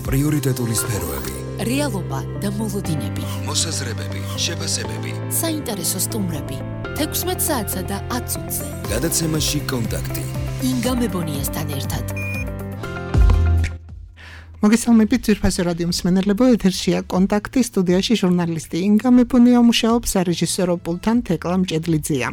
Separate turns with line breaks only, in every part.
პრიორიტეტული სფეროები,
რეალობა და მოლოდინები,
მოსაზრებები, შეფასებები,
საინტერესო სტუმრები, 16 საათსა და 10 წუთზე.
გადაცემაში კონტაქტი.
ინგა მებონიასთან ერთად.
მოგესალმებით ძვირფასი რადიო მსმენელებო, ეთერშია კონტაქტი, სტუდიაში ჟურნალისტი ინგა მებონია მუშაობს, სარეჟისორო პულტთან თეკლა მჭედლიძეა.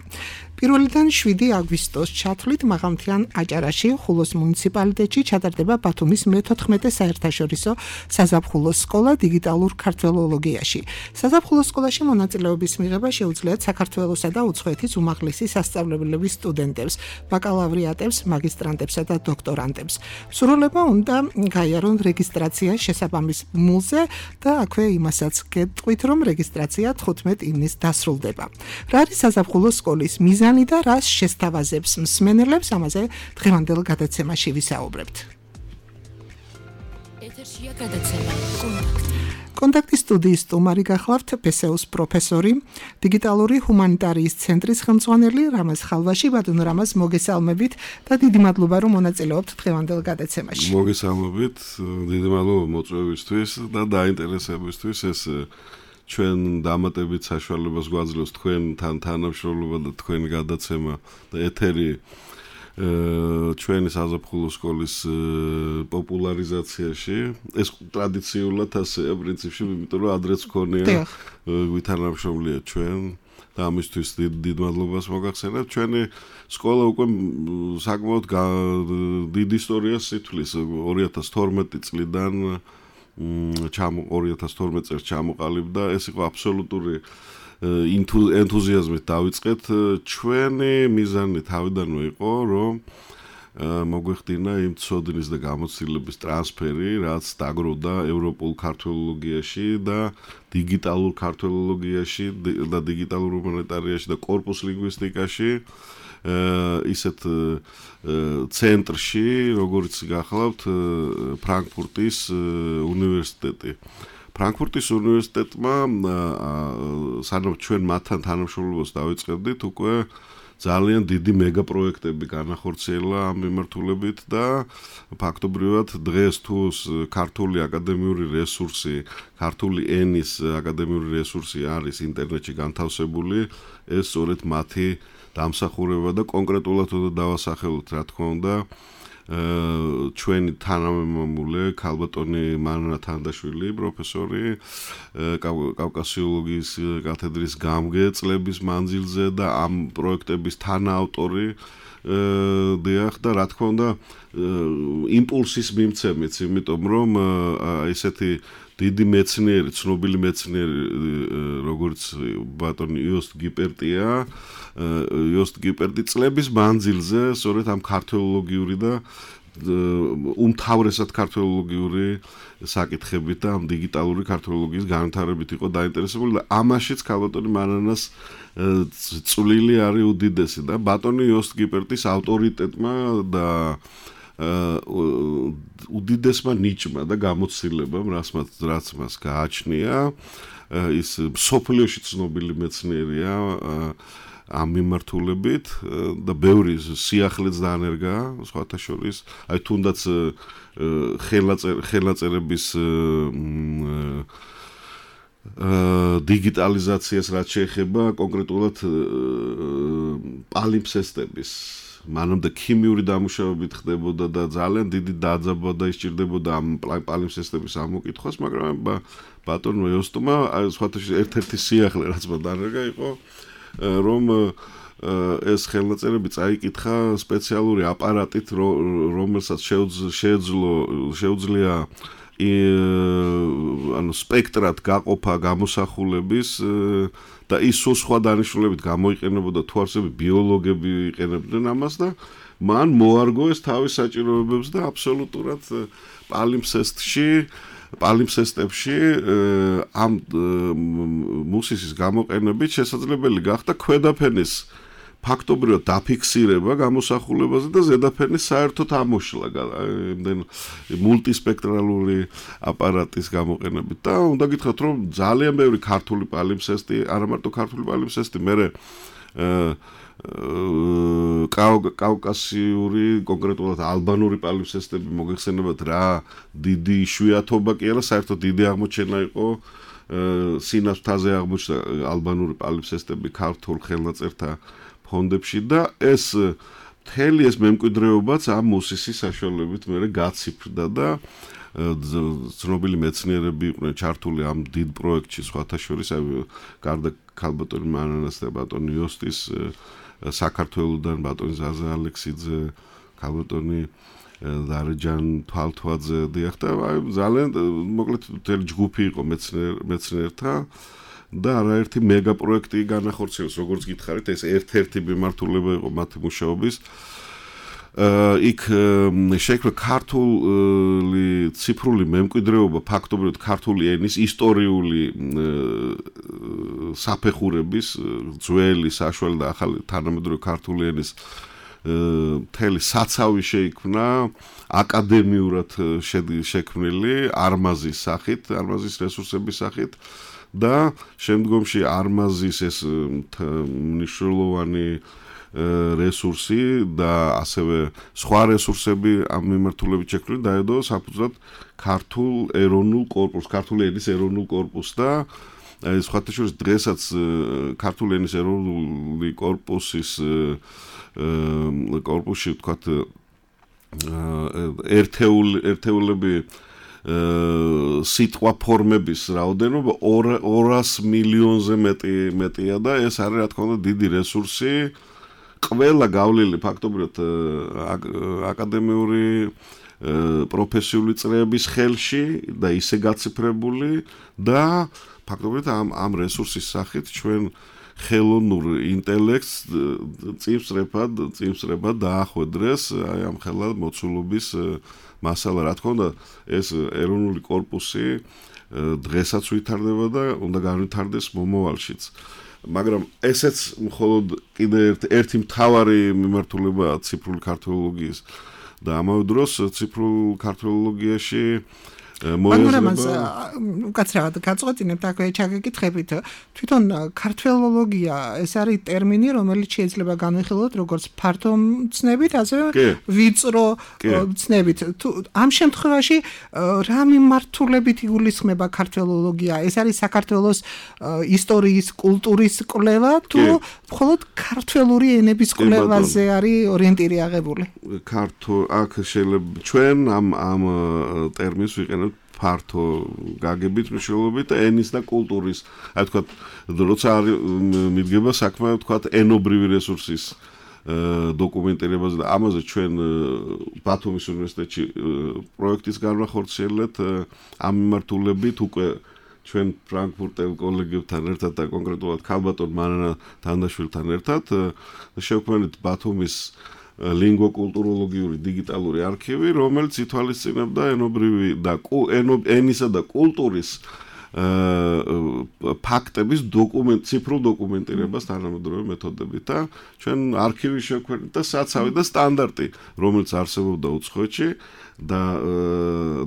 1-დან 7 აგვისტოს ჩათვლით მაღალმთიან აჭარაში, ხულოს მუნიციპალიტეტში ჩატარდება ბათუმის მე-14 საერთაშორისო საზაფხულო სკოლა დიგიტალურ ქართველოლოგიაში. საზაფხულო სკოლაში მონაწილეობის მიღება შეუძლიათ საქართველოსა და უცხოეთის უმაღლესი სასწავლებლების სტუდენტებს, ბაკალავრიატებს, მაგისტრანტებსა და დოქტორანტებს. სრულება უნდა გაიარონ რეგისტრაცია შესაბამის მულზე და აქვე იმასაც გეტყვით, რომ რეგისტრაცია 15 ივნისს დასრულდება. რა არის საზაფხულო სკოლის მიზანი და რას შესთავაზებს მსმენელებს, ამაზე დღევანდელ გადაცემაში ვისაუბრებთ.
ეთერშია გადაცემა კონტაქტი.
კონტაქტის სტუდიის სტუმარი გახლავთ პესეუს პროფესორი, დიგიტალური ჰუმანიტარიის ცენტრის ხელმძღვანელი რამაზ ხალვაში. ბატონ რამაზ, მოგესალმებით და დიდი მადლობა რომ მონაწილეობთ დღევანდელ გადაცემაში.
მოგესალმებით, დიდი მადლობა მოწვევისთვის და დაინტერესებისთვის. ეს ჩვენ დამატებით საშუალებას გვაძლევს თქვენთან თანამშრომლობა და თქვენი გადაცემა და ეთერი ჩვენი საზაფხულო სკოლის პოპულარიზაციაში. ეს ტრადიციულად ასეა პრინციპში, იმიტომ რომ ადრეც გქონია ვითანამშრომლია ჩვენ და ამისთვის დიდ მადლობას მოგახსენებთ. ჩვენი სკოლა უკვე საკმაოდ დიდ ისტორიას ითვლის 2012 წლიდან 2012 წელს ჩამოყალიბდა. ეს იყო აბსოლუტური ენთუზიაზმით დავიწყეთ. ჩვენი მიზანი თავიდანვე იყო, რომ მოგვეხდინა იმ ცოდნის და გამოცდილების ტრანსფერი, რაც დაგროვდა ევროპულ ქართველოლოგიაში და დიგიტალურ ქართველოლოგიაში და დიგიტალურ ჰუმანიტარიაში და კორპუს ლინგვისტიკაში, ისეთ ცენტრში, როგორც გახლავთ ფრანკფურტის უნივერსიტეტი. ფრანკფურტის უნივერსიტეტმა სანამ ჩვენ მათთან თანამშრომლობას დავიწყებდით, უკვე ძალიან დიდი მეგა პროექტები განახორციელა ამ მიმართულებით და ფაქტობრივად დღეს თუ ქართული აკადემიური რესურსი, ქართული ენის აკადემიური რესურსი არის ინტერნეტში განთავსებული, ეს სწორედ მათი დამსახურება და კონკრეტულად უნდა დავასახელოთ, რა თქმა უნდა, ჩვენი თანამემამულე ქალბატონი მანანა თანდაშვილი, პროფესორი, კავკასიოლოგიის კათედრის გამგე წლების მანძილზე და ამ პროექტების თანაავტორი, დიახ, და რა თქმა უნდა, იმპულსის მიმცემიც, იმიტომ რომ ესეთი დიდი მეცნიერი, ცნობილი მეცნიერი, როგორც ბატონი იოსტ გიპერტია, იოსტ გიპერტი წლების მანძილზე სწორედ ამ ქართველოლოგიური და უმთავრესად ქართველოლოგიური საკითხებით და ამ დიგიტალური ქართველოლოგიის განვითარებით იყო დაინტერესებული და ამაშიც ქალბატონი მანანას წვლილი არის უდიდესი და ბატონი იოსტ გიპერტის ავტორიტეტმა და უდიდესმა ნიჭმა და გამოცდილებამ, რაც მას გააჩნია, ის მსოფლიოში ცნობილი მეცნიერია ამ მიმართულებით და ბევრი სიახლეც დაანერგა, სხვათა შორის, აი თუნდაც ხელნაწერების დიგიტალიზაციას რაც შეეხება კონკრეტულად პალიმფსესტების მანამდე ქიმიური დამუშავებით ხდებოდა და ძალიან დიდი დაძაბვა ისჭირდებოდა ამ პალიმფსესტების ამოკითხვას, მაგრამ ბატონმა იოსტმა სხვათა შორის ერთ-ერთი სიახლე რაც მან დაანერგა იყო, რომ ეს ხელნაწერები წაიკითხა სპეციალური აპარატით, რომელსაც შეუძლია სპექტრად გაყოფა გამოსახულების და ის სხვა დანიშნულებით გამოიყენებოდა თუ არსებობ ბიოლოგები იყენებდნენ ამას და მან მოარგო ეს თავის საჭიროებებს და აბსოლუტურად პალიმფსესტებში ამ მუსისის გამოყენებით შესაძლებელი გახდა ქვედაფენის ფაქტობრივად დაფიქსირება გამოსახულებაზე და ზედაფენის საერთოდ ამოშლა მულტისპექტრალური აპარატის გამოყენებით და უნდა გითხრათ რომ ძალიან ბევრი ქართული პალიმფსესტი, არა მარტო ქართული პალიმფსესტი, მერე კავკასიური, კონკრეტულად ალბანური პალიფსესტები მოგეხსენებათ რა დიდი იშვიათობა კი არა, საერთოდ დიდი აღმოჩენა იყო სინათლაზე აღმოჩნდა ალბანური პალიფსესტები ქართულ ხელნაწერთა ფონდებში და ეს მთელი ეს მემკვიდრეობაც ამ მუსისის საშუალებით მე გაციფრდა და ცნობილი მეცნიერები იყვნენ ჩართული ამ დიდ პროექტში, სხვათა შორის გარდა ქალბატონი მანანას და ბატონი იოსტის საქართველოსდან ბატონი ზაზა ალექსიძე, ქალბატონი დარეჯან თვალთვაძე დიახ და ძალიან მოკლედ მთელი ჯგუფი იყო მეცნიერთა და არაერთი მეგა პროექტი განახორციელეს, როგორც გითხარით, ეს ერთ-ერთი მიმართულება იყო მათი მუშაობის. იქ შეიქმნა ქართული ციფრული მემკვიდრეობა, ფაქტობრივად ქართული ენის ისტორიული საფეხურების, ძველი, საშუალო და ახალი თანამედროვე ქართული ენის მთელი საცავი შეიქმნა აკადემიურად შექმნილი არმაზის სახით, არმაზის რესურსების სახით და შემდგომში არმაზის ეს მნიშვნელოვანი რესურსი და ასევე სხვა რესურსები ამ მიმართულებით შექმნილი დაედო საფუძვლად ქართულ ეროვნულ კორპუსს, ქართული ენის ეროვნულ კორპუსს და სხვათა შორის დღესაც ქართული ენის ეროვნული კორპუსში ვთქვათ ერთეულები სიტყვა ფორმების რაოდენობა 200 მილიონზე მეტია და ეს არის რა თქმა უნდა დიდი რესურსი ყველა გავლილი ფაქტობრივად აკადემიური პროფესიული წრეების ხელში და ისე გაციფრებული და ფაქტობრივად ამ რესურსის სახით ჩვენ ხელოვნურ ინტელექტს წინსწრებად დაახვედრეს აი ამ ხელა მოცულობის მასალა რა თქმა უნდა ეს ეროვნული კორპუსი დღესაც ვითარდება და უნდა განვითარდეს მომავალშიც მაგრამ ესეც მხოლოდ კიდე ერთი მთავარი მიმართულებაა ციფრული ქართულოლოგიის და ამავე დროს ციფრულ ქართულოლოგიაში
მაგრამ უკაცრავად გაწყვეტინებთ აქვე ჩაგეკითხებით თვითონ ქართველოლოგია ეს არის ტერმინი რომელიც შეიძლება განვიხილოთ როგორც ფართო ცნებით ასევე ვიწრო ცნებით თუ ამ შემთხვევაში რა მიმართულებით იგულისხმება ქართველოლოგია ეს არის საქართველოს ისტორიის კულტურის კვლევა თუ მხოლოდ ქართველური ენების კვლევაზე არის ორიენტირი აღებული
აქ შეიძლება ჩვენ ამ ტერმინს ვიყენებთ ფართო გაგებით მნიშვნელობით ენის და კულტურის აი თქვა როცა მიდგება საქმე თქვა ენობრივი რესურსის დოკუმენტირებაზე და ამაზე ჩვენ ბათუმის უნივერსიტეტში პროექტის განახორციელეთ ამ მიმართულებით უკვე ჩვენ ფრანკფურტელ კოლეგებთან ერთად და კონკრეტულად ქალბატონ მანანა თანდაშვილთან ერთად შევქმნით ბათუმის ლინგვოკულტუროლოგიური დიგიტალური არქივი, რომელიც ითვალისწინებდა ენობრივი და ენისა და კულტურის ფაქტების ციფრულ დოკუმენტირებას თანამედროვე მეთოდებით და ჩვენ არქივი შევქმნით და საცავი და სტანდარტი, რომელიც არსებობდა უცხოეთში და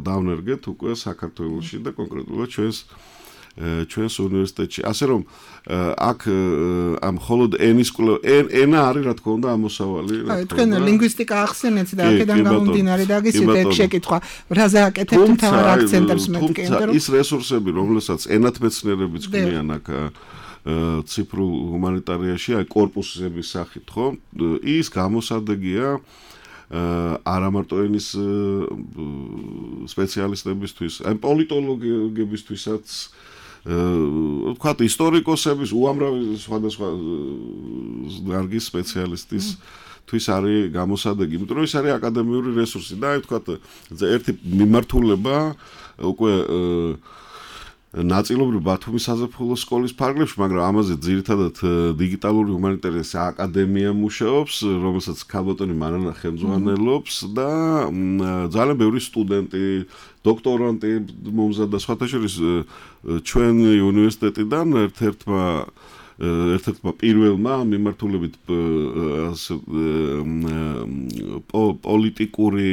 დავნერგეთ უკვე საქართველოში და კონკრეტულად ჩვენს უნივერსიტეტში. ასე რომ აქ ამ მხოლოდ ენის კვლევა ენა არის რა თქმა უნდა ამოსავალი რა თქმა
თქვენ ლინგვისტიკა ახსენეთ და აქედან გამომდინარე დაგისვით ეგ შეკითხვა რაზე აკეთებთ მთავარ აქცენტებს მეთქი
ის რესურსები რომელსაც ენათმეცნიერებიც ქმნიან აქ ციფრულ ჰუმანიტარიაში აი კორპუსების სახით ხო ის გამოსადეგია არა მარტო ენის სპეციალისტებისთვის აი პოლიტოლოგებისთვისაც ვთქვათ ისტორიკოსების უამრავი სხვადასხვა დარგის სპეციალისტისთვის არის გამოსადეგი, იმიტომ რომ ის არის აკადემიური რესურსი და აი ვთქვათ ერთი მიმართულება უკვე ნაწილობრივ ბათუმის საზაფხულო სკოლის ფარგლებში, მაგრამ ამაზე ძირითადად დიგიტალური ჰუმანიტარიის აკადემია მუშაობს, რომელსაც ქალბატონი მანანა ხელმძღვანელობს და ძალიან ბევრი სტუდენტი, დოქტორანტი მომზადდა სხვათა შორის ჩვენი უნივერსიტეტიდან ერთ-ერთმა პირველმა მიმართულებით პოლიტიკური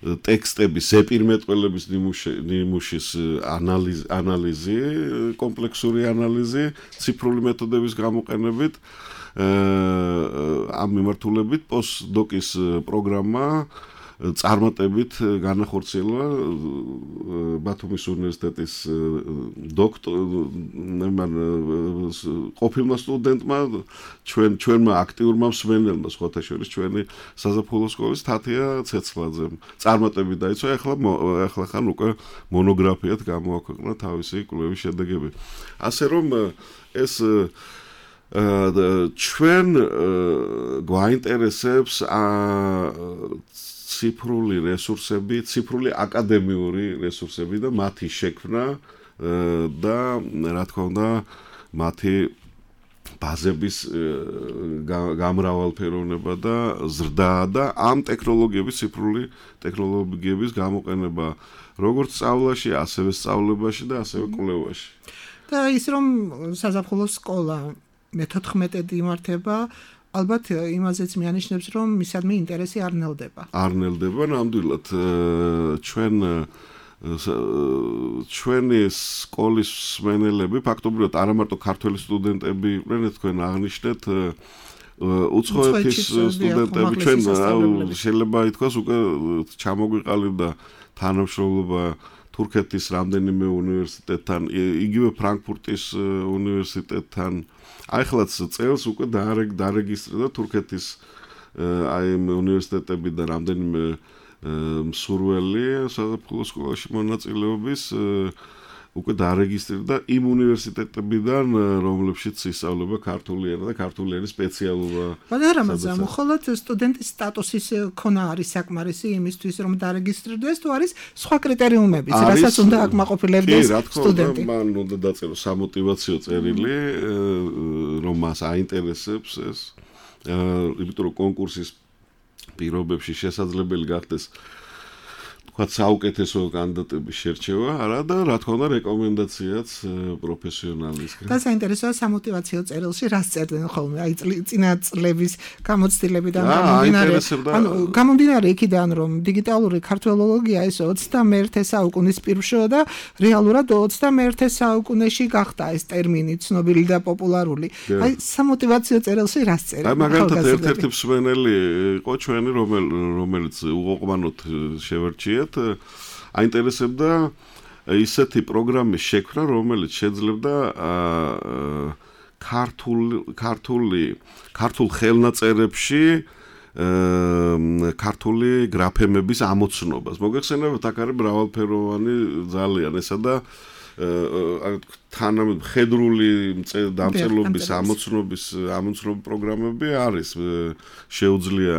ტექსტების ზეპირმეტყველების ნიმუშის ანალიზი, კომპლექსური ანალიზი, ციფრული მეთოდების გამოყენებით ამ მიმართულებით პოსტდოკის პროგრამა წარმატებით განახორციელა ბათუმის უნივერსიტეტის ყოფილმა სტუდენტმა ჩვენმა აქტიურმა მსმენელმა სხვათა შორის ჩვენი საზაფხულო სკოლის თათია ცეცხლაძემ წარმატებით დაიცვა ახლა ხან უკვე მონოგრაფიად გამოაქვეყნა თავისი კვლევის შედეგები ასე რომ ეს ჩვენ გვაინტერესებს ციფრული რესურსები, ციფრული აკადემიური რესურსები და მათი შექმნა და რა თქმა უნდა მათი ბაზების გამრავალფეროვნება და ზრდა და ამ ტექნოლოგიების ციფრული ტექნოლოგიების გამოყენება როგორც სწავლაში, ასევე სწავლებაში და ასევე კვლევაში.
და ის რომ საზაფხულო სკოლა მე-14 იმართება ალბათ იმაზეც მიანიშნებს რომ მისადმი ინტერესი არ ნელდება.
არ ნელდება ნამდვილად ჩვენი სკოლის მსმენელები ფაქტობრივად არა მარტო ქართველი სტუდენტები იყვნენ თქვენ აღნიშნეთ უცხოეთის სტუდენტები ჩვენ შეიძლება ითქვას უკვე ჩამოგვიყალიბდა თანამშრომლობა თურქეთის რამდენიმე უნივერსიტეტთან იგივე ფრანკფურტის უნივერსიტეტთან ახლა წელს უკვე დარეგისტრირდა თურქეთის აი უნივერსიტეტებიდან რამდენიმე მსურველი საზაფხულო სკოლაში მონაწილეობის უკვე დარეგისტრირდა იმ უნივერსიტეტებიდან რომლებშიც ისწავლება ქართული ენა და ქართული ენის სპეციალობა.
მაგრამ მხოლოდ სტუდენტის სტატუსის ქონა არის საკმარისი იმისთვის რომ დარეგისტრირდეს თუ არის სხვა კრიტერიუმებიც რასაც უნდა აკმაყოფილებდეს სტუდენტი.
მან უნდა დაწეროს სამოტივაციო წერილი რომ მას აინტერესებს ეს იმიტომ რომ კონკურსის პირობებში შესაძლებელი გახდეს თქვა საუკეთესო კანდიდატების შერჩევა, არა და რა თქმა უნდა რეკომენდაციაც პროფესიონალისგან.
და საინტერესოა სამოტივაციო წერილში რას წერდნენ ხოლმე, აი წინა წლების გამოცდილებიდან გამომდინარე იქიდან რომ დიგიტალური ქართველოლოგია ეს 21 საუკუნის პირშოა და რეალურად 21 საუკუნეში გახდა ეს ტერმინი ცნობილი და პოპულარული. აი სამოტივაციო წერილში რას წერენ?
აი მაგალითად ერთ-ერთი მსმენელი იყო ჩვენი რომელიც უყოყმანოდ შევერჩია აინტერესებდა ისეთი პროგრამის შექმნა, რომელიც შეძლებდა ქართულ ხელნაწერებში ქართული გრაფემების ამოცნობას. მოგეხსენებათ, აქ არის მრავალფეროვანი ძალიან ესა და ხედრული დამწერლობის ამოცნობის პროგრამები არის შეუძლია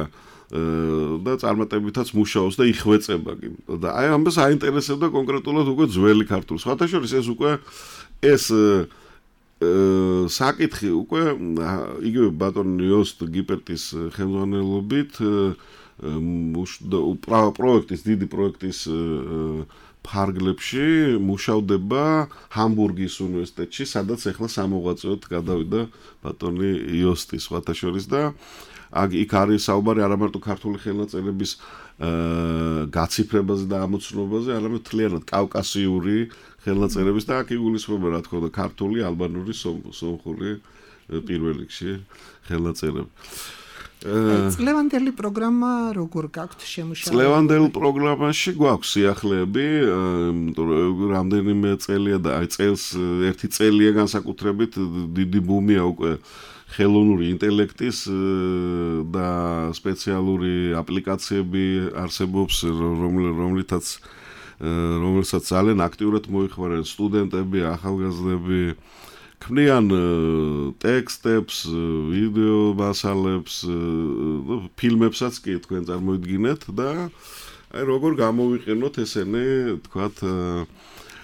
და წარმატებითაც მუშაობს და იხვეწება კი. და აი ამას აინტერესებდა კონკრეტულად უკვე ძველი ქართული. სხვათა შორის ეს უკვე ეს საკითხი უკვე იგივე ბატონ იოსტ გიპერტის ხელმძღვანელობით დიდი პროექტის ფარგლებში მუშავდება ჰამბურგის უნივერსიტეტში, სადაც ახლა სამოღვაწეოდ გადავიდა ბატონი იოსტი სხვათა შორის და იქ არის საუბარი არა მარტო ქართული ხელნაწერების გაციფრებაზე და ამოცნობაზე, არამედ მთლიანად კავკასიური ხელნაწერების და აქ იგულისხმება რა თქმა უნდა ქართული, ალბანური, სომხური პირველ რიგში ხელნაწერები.
წლევანდელი პროგრამა როგორ გაქვთ შემუშავებული?
წლევანდელ პროგრამაში გვაქვს სიახლეები, რამდენიმე წელია და აი წელს ერთი წელია განსაკუთრებით დიდი ბუმია უკვე ხელოვნური ინტელექტის და სპეციალური აპლიკაციები არსებობს, რომელსაც ძალიან აქტიურად მოიხმარენ სტუდენტები, ახალგაზრდები, ქმნიან ტექსტებს, ვიდეო მასალებს, ფილმებსაც კი თქვენ წარმოიდგინეთ და აი როგორ გამოვიყენოთ ესენი, თქვათ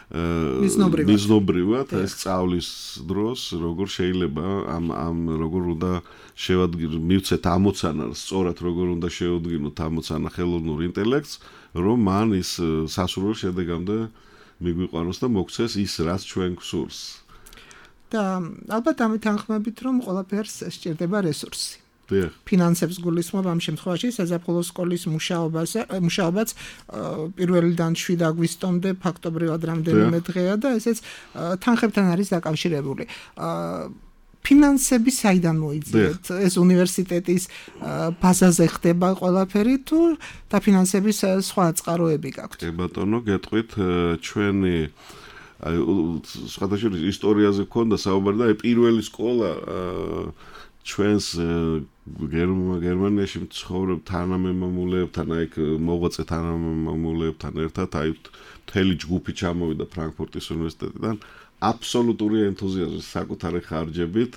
მიზნობრივად ეს სწავლის დროს როგორ შეიძლება ამ როგორ უნდა მივცეთ ამოცანა სწორად როგორ უნდა შევადგინოთ ამოცანა ხელოვნურ ინტელექტს რომ მან ის სასურველ შედეგამდე მიგვიყვანოს და მოგცეს ის რაც ჩვენ გვსურს
და ალბათ ამით თანხმებით რომ ყველაფერს სჭირდება რესურსი ფინანსებს გულისხმობ ამ შემთხვევაში საზაფხულო სკოლის მუშაობაც პირველიდან 7 აგვისტომდე ფაქტობრივად რამდენიმე დღეა და ესეც თანხებთან არის დაკავშირებული. ფინანსები საიდან მოიძიეთ? ეს უნივერსიტეტის ბაზაზე ხდება ყველაფერი თუ დაფინანსების სხვა წყაროები გაქვთ?
კი ბატონო, გეტყვით, ჩვენი სხვადასხვა ისტორიაზე გქონდა საუბარი და პირველი სკოლა ჩვენს გერმანიაში მცხოვრებ თანამემამულეებთან, აი მოღვაწე თანამემამულეებთან ერთად, აი მთელი ჯგუფი ჩამოვიდა ფრანკფურტის უნივერსიტეტიდან. აბსოლუტური ენთუზიაზმით, საკუთარი ხარჯებით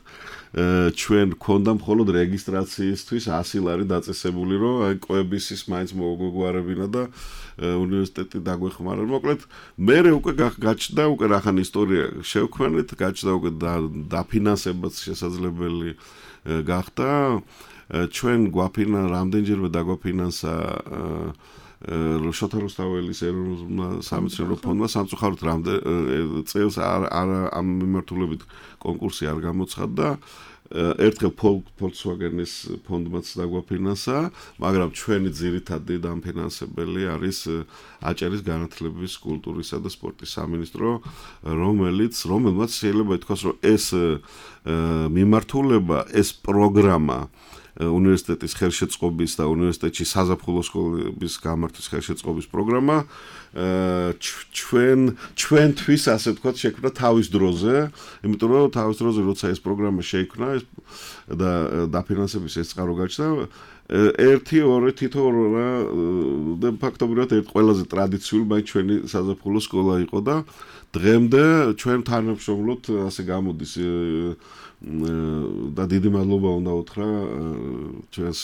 ჩვენ გქონდა მხოლოდ რეგისტრაციისთვის 100 ლარი დაწესებული, რომ აი კვებისის მაინც მოგვეგვარებინა და უნივერსიტეტი დაგვეხმარა. მოკლედ, მე უკვე გაჩნდა უკვე რახან ისტორია შევქმნით, გაჩნდა უკვე დაფინანსებაც შესაძლებელი გახდა. ჩვენ გვაფინა რამდენჯერმე დაგვაფინანსა შოთა რუსთაველის ეროვნულ სამეცნიერო ფონდმა სამწუხაროდ წელს ამ მიმართულებით კონკურსი არ გამოცხადდა. ერთხელ Volkswagen-ის ფონდმაც დაგვაფინანსა, მაგრამ ჩვენი ძირითადი დამფინანსებელი არის აჭარის განათლების, კულტურისა და სპორტის სამინისტრო, რომელმაც შეიძლება ითქვას, რომ ეს მიმართულება, ეს პროგრამა უნივერსიტეტის ხელშეწყობის და უნივერსიტეტში საზაფხულო სკოლების გამართვის ხელშეწყობის პროგრამა ჩვენთვის ასე ვთქვათ შექმნა თავის დროზე, იმიტომ რომ თავის დროზე როცა ეს პროგრამა შეიქმნა და დაფინანსების ეს წყარო გაჩნდა, თითო და ფაქტობრივად ერთ ყველაზე ტრადიციული მაინც ჩვენი საზაფხულო სკოლა იყო და დღემდე ჩვენ თანამშრომლობთ, ასე გამოდის და დიდი მადლობა უნდა უთხრა ჩვენს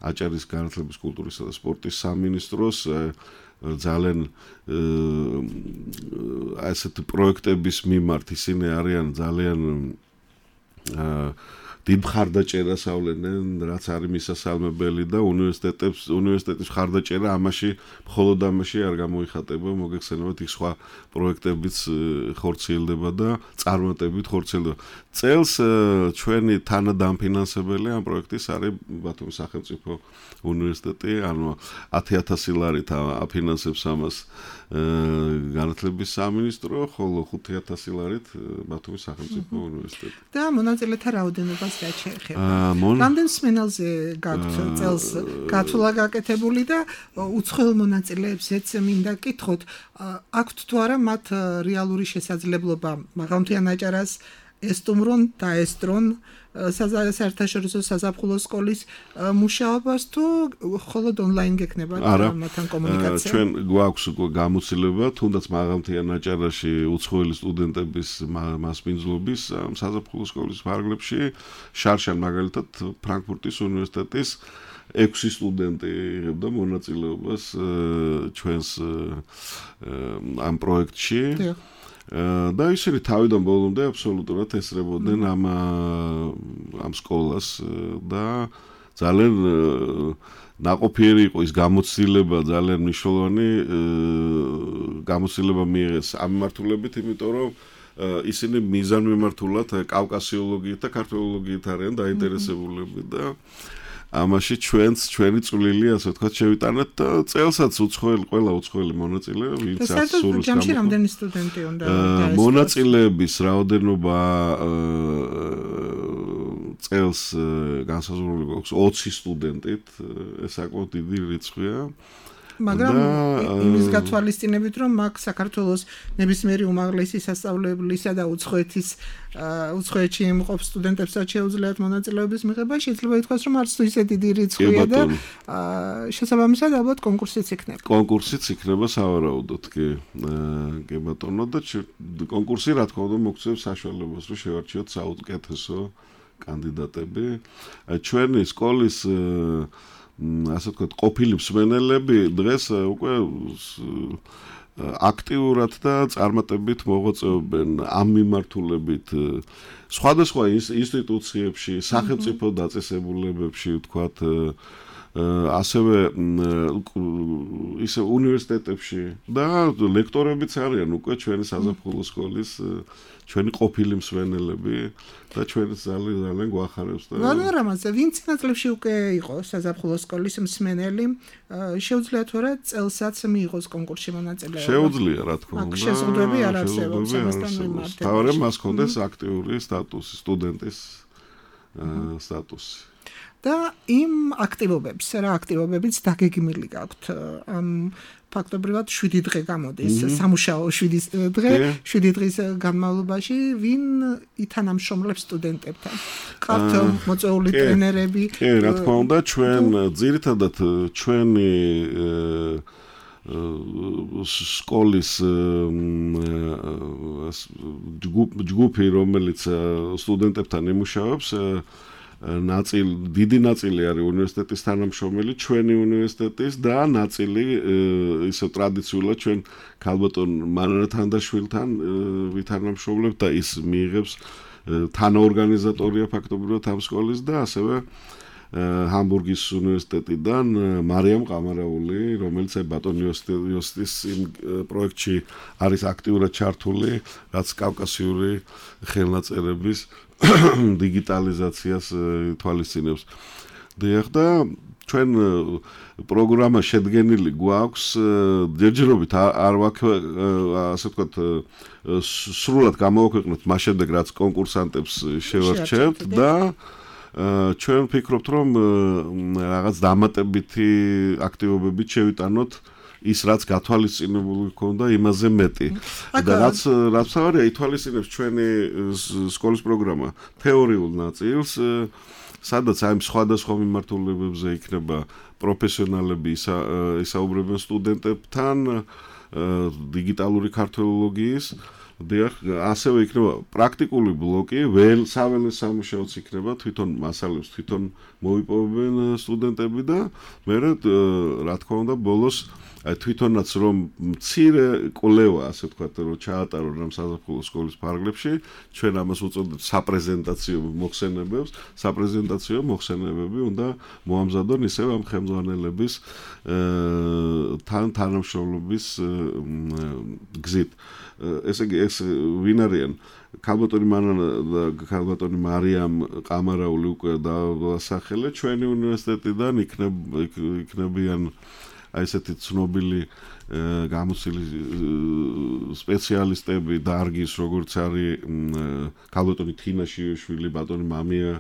აჭარის განათლების, კულტურისა და სპორტის სამინისტროს ძალიან ასეთი პროექტების მიმართ ისინი არიან ძალიან დიდ მხარდაჭერას ავლენენ, რაც არის მისასალმებელი და უნივერსიტეტის მხარდაჭერა მხოლოდ ამაში არ გამოიხატება, მოგეხსენებათ იქ სხვა პროექტებიც ხორციელდება და წარმატებით ხორციელდება. წელს ჩვენი თანადამფინანსებელი ამ პროექტის არის ბათუმის სახელმწიფო უნივერსიტეტი, ანუ 10,000 ლარით აფინანსებს ამას განათლების სამინისტრო, ხოლო 5,000 ლარით ბათუმის სახელმწიფო უნივერსიტეტი.
და მონაწილეთა რაოდენობას რა შეეხება? რამდენ სმენელზე გაქვთ წელს გათვლა გაკეთებული და უცხოელ მონაწილეებზეც მინდა კითხოთ, აქვთ თუ არა მათ რეალური შესაძლებლობა მაღალმთიან აჭარას ესტუმრონ და ესტრონ საერთაშორისო საზაფხულო სკოლის მუშაობას თუ მხოლოდ ონლაინ გექნება მათთან კომუნიკაცია?
ჩვენ გვაქვს გამოცდილება, თუნდაც მაღალმთიან აჭარაში უცხოელი სტუდენტების მასპინძლობის საზაფხულო სკოლის ფარგლებში, შარშან მაგალითად ფრანკფურტის უნივერსიტეტის 6 სტუდენტი იღებდა მონაწილეობას ჩვენს ამ პროექტში. და ისინი თავიდან ბოლომდე აბსოლუტურად ესწრებოდნენ ამ სკოლას და ძალიან ნაყოფიერი იყო ის გამოცდილება, ძალიან მნიშვნელოვანი გამოცდილება მიიღეს ამ მიმართულებით, იმიტომ რომ ისინი მიზანმიმართულად კავკასიოლოგიით და ქართველოლოგიით არიან დაინტერესებულები და ამაში ჩვენი წვლილი, ასე ვთქვათ, შევიტანეთ და წელსაც ყველა უცხოელი მონაწილე, ვინც აქვს სურვილს
ჯამში რამდენი სტუდენტი უნდა დაესწროს?
მონაწილეების რაოდენობა წელს განსაზღვრული გვაქვს 20 სტუდენტით, ეს საკმაოდ დიდი რიცხვია.
მაგრამ იმის გათვალისწინებით, რომ მაგ საქართველოს ნებისმიერი უმაღლესი სასწავლებლისა და უცხოეთში იმყოფ სტუდენტებსაც შეუძლიათ მონაწილეობის მიღება, შეიძლება ითქვას, რომ არც თუ ისე დიდი რიცხვია და შესაბამისად ალბათ კონკურსიც იქნება.
კონკურსიც იქნება სავარაუდოდ, კი ბატონო და კონკურსი რა თქმა უნდა მოგცემს საშუალებას, რომ შევარჩიოთ საუკეთესო კანდიდატები. ჩვენი სკოლის ასე ვთქვათ, ყოფილი მსმენელები დღეს უკვე აქტიურად და წარმატებით მოღვაწეობენ ამ მიმართულებით სხვადასხვა ინსტიტუციებში, სახელმწიფო დაწესებულებებში, ვთქვათ, ასევე ისე უნივერსიტეტებში და ლექტორებიც არიან უკვე ჩვენი საზაფხულო სკოლის ჩვენი ყოფილი მსმენელები და ჩვენს ძალიან გვახარებს და
რამაზე ვინც ნაწლებში უკვე იყო საზაფხულო სკოლის მსმენელი, შეუძლია თუ არა წელსაც მიიღოს კონკურსში მონაწილეობა? შეუძლია,
რა თქმა უნდა.
შეზღუდვები არ არსებობს ამასთან მიმართებით.
თავარემ მას ჰქონდეს აქტიური სტატუსი სტუდენტის სტატუსი.
და იმ აქტივობებს, რა აქტივობებიც დაგეგმილი გაქვთ ამ ფაქტობრივად 7 დღე გამოდის, სამუშაო 7 დღე, 7 დღის განმავლობაში ვინ ითანამშრომლებს სტუდენტებთან? ყავთ მოწვეული ტრენერები?
კი, რა თქმა უნდა, ჩვენ ძირითადად ჩვენი სკოლის ჯგუფი, რომელიც სტუდენტებთან იმუშავებს, დიდი ნაწილი არის უნივერსიტეტის თანამშრომელი, ჩვენი უნივერსიტეტის და ნაწილი ისე ტრადიციულად ჩვენ ქალბატონ მანანა თანდაშვილთან ვითანამშრომლებთ და ის მიიღებს თანაორგანიზატორია ფაქტობრივად ამ სკოლის და ასევე ჰამბურგის უნივერსიტეტიდან მარიამ ყამარაული, რომელიც ბატონ იოსტის იმ პროექტში არის აქტიურად ჩართული, რაც კავკასიური ხელნაწერების დიგიტალიზაციას თვალისწინებს. და ჩვენ პროგრამა შედგენილი გვაქვს ჯერჯერობით არ ასე ვთქვათ სრულად გამოვაქვეყნოთ მას შემდეგ რაც კონკურსანტებს შევარჩევთ და ჩვენ ვფიქრობთ რომ რაღაც დამატებითი აქტივობებით შევიტანოთ ის რაც გათვალისწინებული ქონდა იმაზე მეტი და რაც თავარია ითვალისწინებს ჩვენი სკოლის პროგრამა თეორიულ ნაწილს სადაც აი სხვადასხვა მიმართულებებზე იქნება პროფესიონალები ისაუბრებენ სტუდენტებთან დიგიტალური ქართველოლოგიის ასევე იქნება პრაქტიკული ბლოკი, საველე სამუშაოც იქნება, თვითონ მასალებს თვითონ მოიპოვებენ სტუდენტები და მე რა თქმა უნდა ბოლოს თვითონაც რომ მცირე კვლევა, ასე ვთქვათ, რომ ჩაატარონ ამ საზაფხულო სკოლის ფარგლებში, ჩვენ ამას უწოდებთ საპრეზენტაციო მოხსენებებს, საპრეზენტაციო მოხსენებები უნდა მოამზადონ ისევ ამ ხელმძღვანელების თანამშრომლობის გზით. ესე იგი ეს ვინ არიან? ქალბატონი მანანა და ქალბატონი მარიამ ყამარაული უკვე დასახელე ჩვენი უნივერსიტეტიდან იქნებიან აი ესეთი ცნობილი გამოცილი სპეციალისტები დარგის როგორც არის ქალბატონი თინა შიშვილი, ბატონი მამია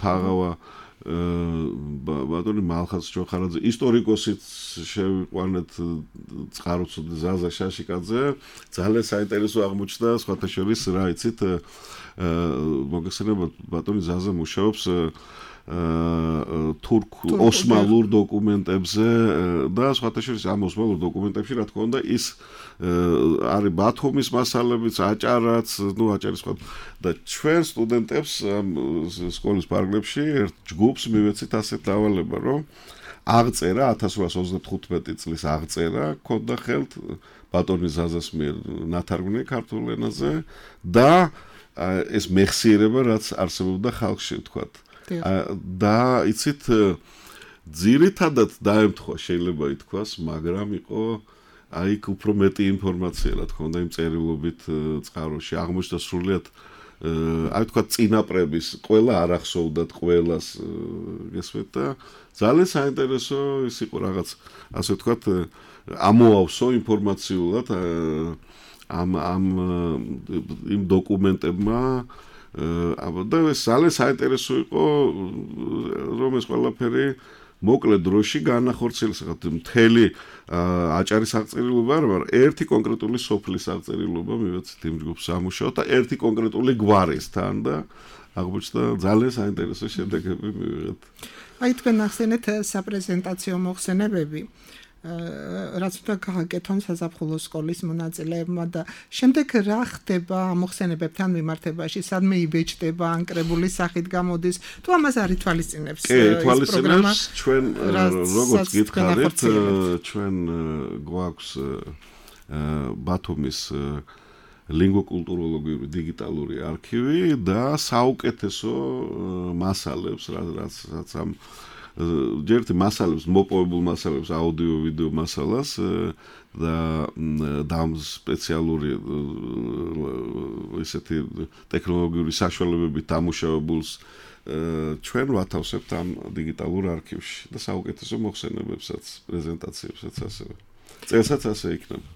ფაღავა ბატონი მალხაზ ჯოხარაძე, ისტორიკოსიც შევიყვანეთ წყაროწუდი ზაზა შაშიკაძე, ძალიან საინტერესო აღმოჩნდა, სხვათა შორის რა იცით, მოგეხსენებათ ბატონი ზაზა მუშაობს ოსმალურ დოკუმენტებზე და სხვათა შორის ამ ოსმალურ დოკუმენტებში რა თქმა უნდა ის არის ბათუმის მასალებიც, აჭარაც, აჭარის სხვა და ჩვენ სტუდენტებს სკოლის ფარგლებში ერთ ჯგუფს მივეცით ასეთ დავალება, რომ აღწერა 1835 წლის აღწერა ქონდა ხელთ ბატონი ზაზას მიერ ნათარგმნი ქართულ ენაზე და ეს მეხსიერება რაც არსებობდა ხალხში ვთქვათ. და იცით ძირითადად დაემთხვა შეიძლება ითქვას, მაგრამ იყო აი უფრო მეტი ინფორმაცია რა თქმა უნდა იმ წერილობით წყაროში აღმოჩნდა სრულიად აი ვთქვათ წინაპრების ყველა არ ახსოვდათ ყველას გესმით და ძალიან საინტერესო ის იყო რაღაც ასე ვთქვათ ამოავსო ინფორმაციულად ამ იმ დოკუმენტებმა და ეს ძალიან საინტერესო იყო რომ ეს ყველაფერი მოკლე დროში განახორციელეს მთელი აჭარის აღწერილობა არ მაგრამ ერთი კონკრეტული სოფლის აღწერილობა მივეცით იმ ჯგუფს სამუშაოდ და ერთი კონკრეტული გვარისთან და აღმოჩნდა ძალიან საინტერესო შედეგები მივიღეთ.
აი თქვენ ახსენეთ საპრეზენტაციო მოხსენებები რაც უნდა გააკეთონ საზაფხულო სკოლის მონაწილეებმა და შემდეგ რა ხდება მოხსენებებთან მიმართებაში, სადმე იბეჭდება, ანკრებული სახით გამოდის, თუ ამას არ ითვალისწინებს
ეს პროგრამა? ჩვენ როგორც გითხარით, ჩვენ გვაქვს ბათუმის ლინგვოკულტუროლოგიური დიგიტალური არქივი და საუკეთესო მასალებს, რაც ამ ჯერტი მასალებს, მოპოვებულ მასალებს, აუდიო, ვიდეო მასალას და ამ სპეციალური ესეთი ტექნოლოგიური საშუალებებით დამუშავებულს ჩვენ ვათავსებთ ამ დიგიტალურ არქივში და საუკეთესო მოხსენებებსაც, პრეზენტაციებსაც ასევე. წელსაც ასე იქნება.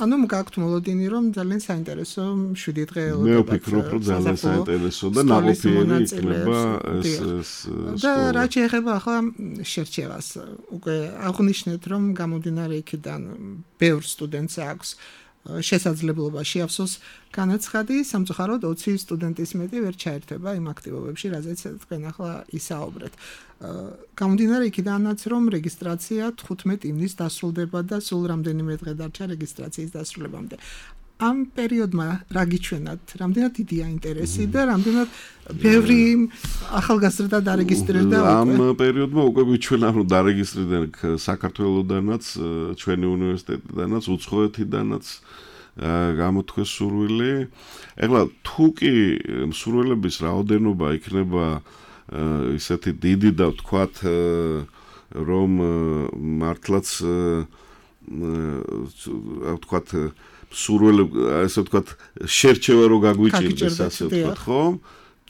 ანუ გაქვთ მოლოდინი რომ ძალიან საინტერესო 7 დღე ელოდება.
მე ვფიქრობ რომ ძალიან საინტერესო და ნაყოფიერი იქნება ეს
და რა შეეხება ახლა შერჩევას უკვე აღნიშნეთ რომ გამომდინარე იქიდან ბევრ სტუდენტს აქვს შესაძლებლობა შეავსოს განაცხადი სამწუხაროდ 20 სტუდენტის მეტი ვერ ჩაერთვება იმ აქტივობებში რაზეც თქვენ ახლა ისაუბრეთ გამომდინარე იქიდანაც რომ რეგისტრაცია 15 ივნის დასრულდება და სულ რამდენიმე დღე დარჩა რეგისტრაციის დასრულებამდე ამ პერიოდმა რა გიჩვენათ რამდენად დიდია ინტერესი და რამდენად ბევრი ახალგაზრდა დარეგისტრირდა
ამ პერიოდმა უკვე გვიჩვენა რომ დარეგისტრირდა საქართველოსდანაც ჩვენი უნივერსიტეტიდანაც უცხოეთიდანაც გამოთქვეს სურვილი ეხლა თუ კი მსურველების რაოდენობა იქნება ისეთი დიდი და ვთქვათ რომ მართლაც ვთქვათ სურველი ასე ვთქვათ შერჩევა რო გაგვიჭირდეს ასე ვთქვათ ხო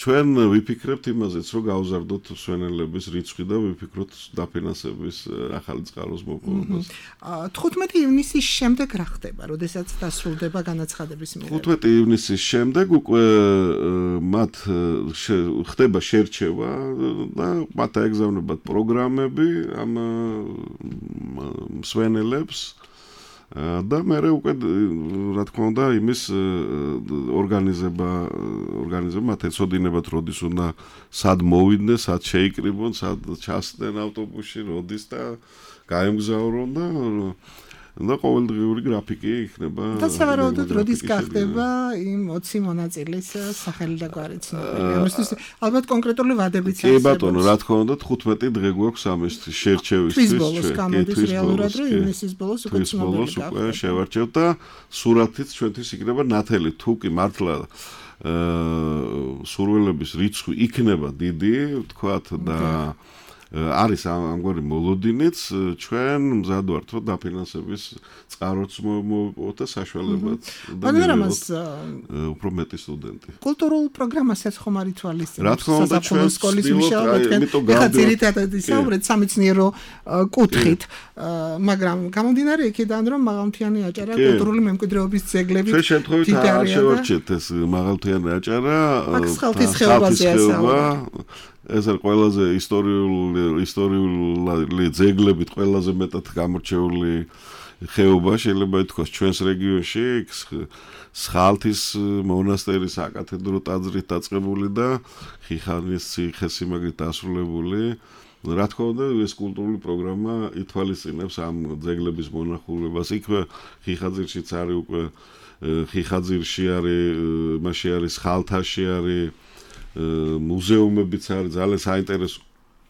ჩვენ ვიფიქრებთ იმაზეც რომ გავზარდოთ მსვენელების რიცხვი და ვიფიქროთ დაფინანსების ახალი წყაროს მოპოვებას
15 ივნისის შემდეგ რა ხდება როდესაც დასრულდება განაცხადების მიღება
15 ივნისის შემდეგ უკვე მათ ხდება შერჩევა და მათ აეგზავნებათ პროგრამები ამ მსვენელებს და მე უკვე რა თქმა უნდა იმის ორგანიზება ეცოდინებათ როდის უნდა სად მოვიდნენ, სად შეიკრიბონ, სად ჩასდნენ ავტობუსში, როდის და გაემგზავრონ და ყოველდღიური გრაფიკი იქნება.
და სავარაუდოდ როდის გახდება იმ 20 მონაწილის სახელი და გვარი ცნობილი. ამისთვის ალბათ კონკრეტული ვადებიც
არის. კი ბატონო, რა თქმა უნდა 15 დღე გვაქვს ამისთვის შერჩევისთვის.
თვის ბოლოს გამოდის რეალურად რომ ივნისის ბოლოს უკვე ცნობილი
უკვე შევარჩევთ და სურათიც ჩვენთვის იქნება ნათელი თუ კი მართლა სურვილების რიცხვი იქნება დიდი, ვთქვათ და არის ამგვარი მოლოდინიც ჩვენ მზად ვართ რომ დაფინანსების წყაროც მოვიპოვოთ და საშუალებაც და მივიღოთ უფრო მეტი სტუდენტი.
კულტურულ პროგრამასაც ხომ არ ითვალისწინებთ?
რა თქმა უნდა ჩვენ
სკოლის მუშაობთ, ეხლა ძირითადად ისაუბრეთ სამეცნიერო კუთხით, მაგრამ გამომდინარე იქიდან რომ მაღალმთიანი აჭარა კულტურული მემკვიდრეობის ძეგლებით
ჩვენ შემთხვევით არ შევარჩიეთ ეს მაღალმთიანი აჭარა
ხალხის ხეობაზე ასაუბრა
ეს არის ყველაზე ისტორიული ძეგლებით ყველაზე მეტად გამორჩეული ხეობა შეიძლება ითქვას ჩვენს რეგიონში სხალთის მონასტერის საკათედრო ტაძრით დაწყებული და ხიხანის ციხესიმაგრით დასრულებული რა თქმა უნდა ეს კულტურული პროგრამა ითვალისწინებს ამ ძეგლების მონახულებას იქვე ხიხაძირშიც არის უკვე ხიხაძირში არის მასში არის სხალთაში არის მუზეუმებიც არის ძალიან საინტერესო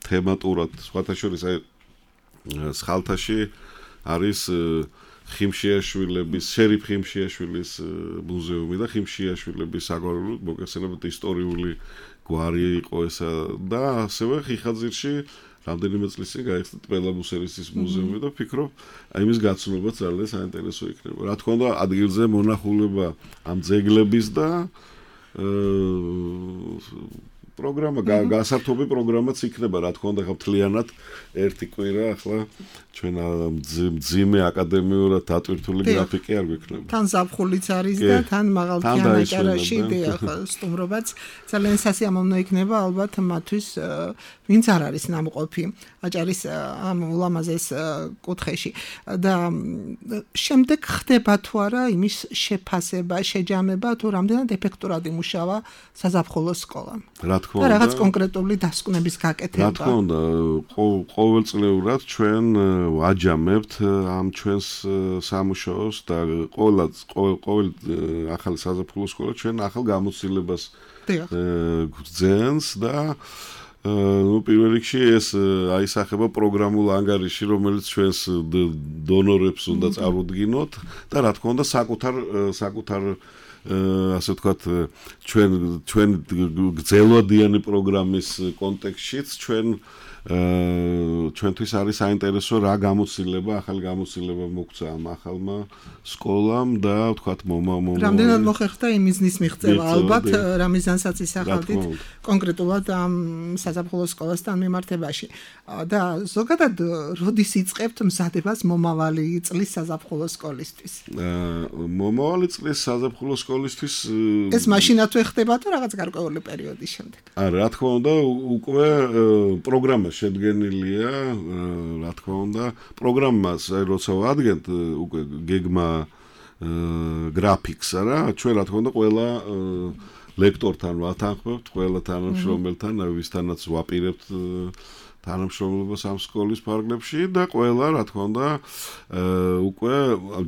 თემატურად სხვათა შორის სხალთაში არის ხიმშიაშვილების შერიფ ხიმშიაშვილის მუზეუმი და ხიმშიაშვილების საგვარეულო მოგესალმებით ისტორიული გვარი იყო ესა და ასევე ხიხაძირში რამდენიმე წლის წინ გაიხსნა ტბელაბუსერისის მუზეუმი და ვფიქრობ იმის გაცნობაც ძალიან საინტერესო იქნება რა თქმა უნდა ადგილზე მონახულება ამ ძეგლების და პროგრამა გასართობი პროგრამაც იქნება რა თქმა უნდა ხმთლიანად ერთი კვირა ახლა ჩვენ მძიმე აკადემიურად დატვირთული გრაფიკი არ გვექნება
თან ზაფხულიც არის და თან მაღალმთიან აჭარაში ახლა სტუმრობაც ძალიან სასიამოვნო იქნება ალბათ მათთვის ვინც არ არის ნამყოფი აჭარის ამ ულამაზეს კუთხეში და შემდეგ ხდება თუ არა იმის შეფასება შეჯამება თუ რამდენად ეფექტურად იმუშავა საზაფხულო სკოლა
რა თქმა უნდა
და რაღაც კონკრეტული დასკვნების გაკეთება
რა თქმა უნდა ყოველწლიურად ჩვენ ვაჯამებთ ამ ჩვენს სამუშაოს და ყოველ ახალი საზაფხულო სკოლა ჩვენ ახალ გამოცდილებას გძენს და პირველ რიგში ეს აისახება პროგრამულ ანგარიში, რომელიც ჩვენს დონორებს უნდა წარუდგინოთ და რა თქმა უნდა საკუთარ ასე ვთქვათ ჩვენ გრძელვადიანი პროგრამის კონტექსტშიც ჩვენ ჩვენთვის არის საინტერესო რა ახალი გამოცდილება მოგცა ამ ახალმა სკოლამ და ვთქვათ
რამდენად მოხერხდა იმ მიზნის მიღწევა ალბათ რა მიზანსაც ისახავდით კონკრეტულად ამ საზაფხულო სკოლასთან მიმართებაში და ზოგადად როდის იწყებთ მზადებას მომავალი წლის საზაფხულო სკოლისთვის
მომავალი წლის საზაფხულო სკოლისთვის
ეს მაშინათვე ხდება თუ რაღაც გარკვეული პერიოდის შემდეგ
რა თქმა უნდა უკვე პროგრამა შედგენილია რა თქმა უნდა პროგრამას როცა ვადგენთ უკვე გეგმა გრაფიკსა რა ჩვენ რა თქმა უნდა ყველა ლექტორთან ვათანხმებთ ყველა თანამშრომელთან ვისთანაც ვაპირებთ თანამშრომლობას ამ სკოლის ფარგლებში და ყველა რა თქმა უნდა უკვე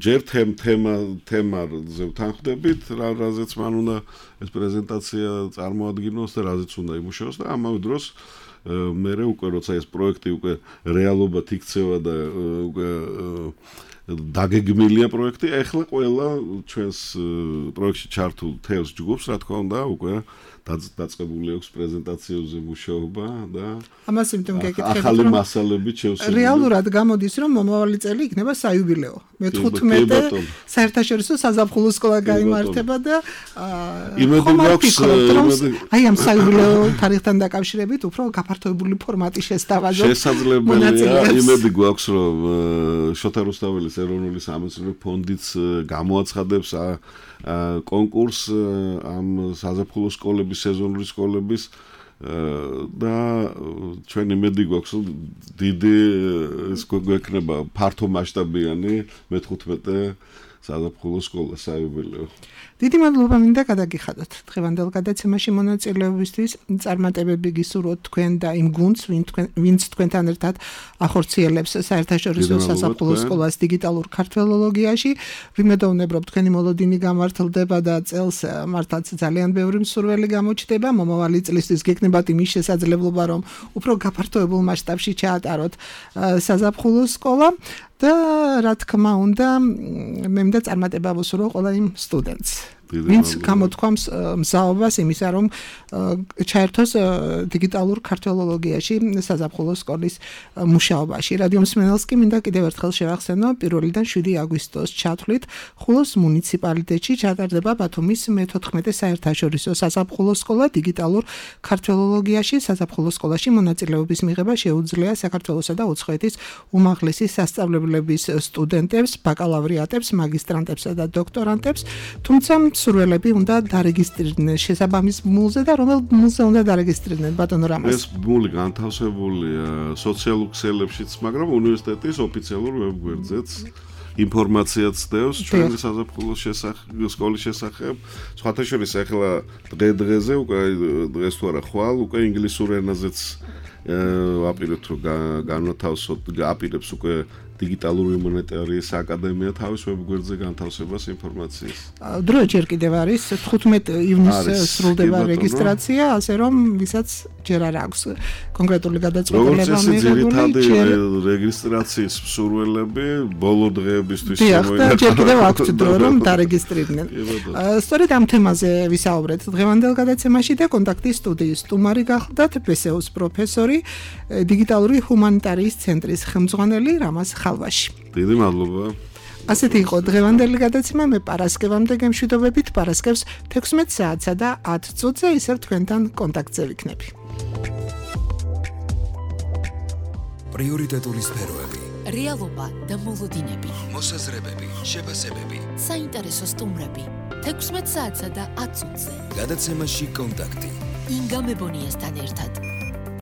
ჯერ თემაზე ვთანხმდებით რაზეც მან უნდა ეს პრეზენტაცია წარმოადგინოს და რაზეც უნდა იმუშაოს და ამავე დროს მერე უკვე როცა ეს პროექტი უკვე რეალობად იქცევა და უკვე დაგეგმილია პროექტი, ეხლა ყველა ჩვენს პროექტში ჩართულ თელს ჯგუფს, რა თქმა უნდა, უკვე დაწყებული აქვს პრეზენტაციებზე მუშაობა და
ამას იმიტომ გეკითხებით,
ახალი მასალებით შევსებული.
რეალურად გამოდის, რომ მომავალი წელი იქნება საიუბილეო. მე-15 საერთაშორისო საზაფხულო სკოლა გაიმართება და
იმედი გვაქვს,
აი ამ საიუბილეო თარიღთან დაკავშირებით უფრო გაფართოებული ფორმატი შესთავაზოთ.
შესაძლებელია, იმედი გვაქვს, რომ შოთა რუსთაველის ეროვნული სამეცნიერო ფონდიც გამოაცხადებს კონკურს ამ საზაფხულო სკოლების, სეზონური სკოლების და ჩვენ იმედი გვაქვს, რომ დიდი ეს გვექნება ფართო მასშტაბიანი მე-15 საზაფხულო სკოლა საიუბილეო.
დიდი მადლობა მინდა გადაგიხადოთ დღევანდელ გადაცემაში მონაწილეობისთვის. წარმატებები გისურვოთ თქვენ და იმ გუნდს, ვინც თქვენთან ერთად ახორციელებს საერთაშორისო საზაფხულო სკოლას დიგიტალურ ქართველოლოგიაში. ვიმედოვნებთ თქვენი მოლოდინი გამართლდება და წელს მართლაც ძალიან ბევრი მსურველი გამოჩნდება. მომავალი წლისთვის გეკნებათ იმის შესაძლებლობა, რომ უფრო გაფართოებულ მასშტაბში ჩაატაროთ საზაფხულო სკოლა. და რა თქმა უნდა, მე მინდა წარმატება ვუსურვო ყველა იმ სტუდენტს, ვინც გამოთქვამს მზაობას იმისა, რომ ჩაერთოს დიგიტალურ ქართველოლოგიაში საზაფხულო სკოლის მუშაობაში. რადიო მსმენელს კი მინდა კიდევ ერთხელ შევახსენო, 1-დან 7 აგვისტოს ჩათვლით ხულოს მუნიციპალიტეტში ჩატარდება ბათუმის მე-14 საერთაშორისო საზაფხულო სკოლა დიგიტალურ ქართველოლოგიაში. საზაფხულო სკოლაში მონაწილეობის მიღება შეუძლია საქართველოსა და უცხოეთის უმაღლესი სასწავლებლების სტუდენტებს, ბაკალავრიატებს, მაგისტრანტებსა და დოქტორანტებს, თუმცა მსურველები უნდა დარეგისტრირდნენ შესაბამის ბმულზე და რომელ ბმულზე უნდა დარეგისტრირდნენ ბატონო რამაზ?
ეს ბმული განთავსებულია სოციალურ ქსელებშიც, მაგრამ უნივერსიტეტის ოფიციალურ ვებგვერდზეც ინფორმაციაც დევს ჩვენი საზაფხულო სკოლის შესახებ. სხვათა შორის ახლა დღე-დღეზე უკვე დღეს თუ არა ხვალ უკვე ინგლისურ ენაზეც ვაპირებთ რომ განათავსოთ, აპირებს უკვე დიგიტალური მონეტარიის აკადემია თავის ვებგვერდზე განთავსებას ინფორმაციის.
დრო ჯერ კიდევ არის 15 ივნისს სრულდება რეგისტრაცია, ასე რომ ვისაც ჯერ არ აქვს კონკრეტული გადაწყვეტილება მიღებული,
რეგისტრაციის მსურველები ბოლო დღეებისთვის
მოინახავთ. ჯერ კიდევ აქვთ დრო რომ დარეგისტრირდნენ. სწორედ ამ თემაზე ვისაუბრეთ დღევანდელ გადაცემაში და კონტაქტის სტუდიის სტუმარი გახლდათ ბესეუს პროფესორი, დიგიტალური ჰუმანიტარიის ცენტრის ხელმძღვანელი რამაზ ხალვაში.
დიდი მადლობა.
ასეთი იყო დღევანდელი გადაცემა. მე პარასკევამდე გემშვიდობებით, პარასკევს 16 საათსა და 10 წუთზე ისევ თქვენთან კონტაქტზე ვიქნები.
პრიორიტეტული სფეროები,
რეალობა და მოლოდინები,
მოსაზრებები, შეფასებები,
საინტერესო სტუმრები 16 საათსა და 10 წუთზე.
გადაცემაში კონტაქტი.
ინგა მებონიასთან ერთად.